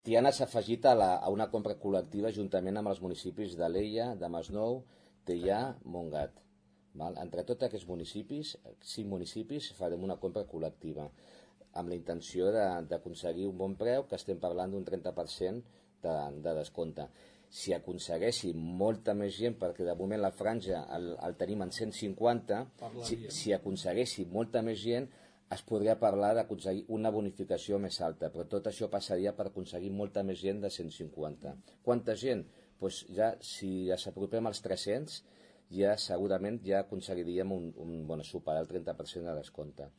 Tiana s'ha afegit a una compra col·lectiva juntament amb els municipis d'Alella, de Masnou, Teià, Montgat. Val? Entre tots aquests municipis, 5 municipis, farem una compra col·lectiva amb la intenció d'aconseguir un bon preu, que estem parlant d'un 30% de descompte. Si aconseguéssim molta més gent, perquè de moment la franja el tenim en 150, si aconseguéssim molta més gent, es podria parlar d'aconseguir una bonificació més alta, però tot això passaria per aconseguir molta més gent de 150. Quanta gent? Pues ja, si ens apropem als 300, ja segurament ja aconseguiríem superar el 30% de descompte.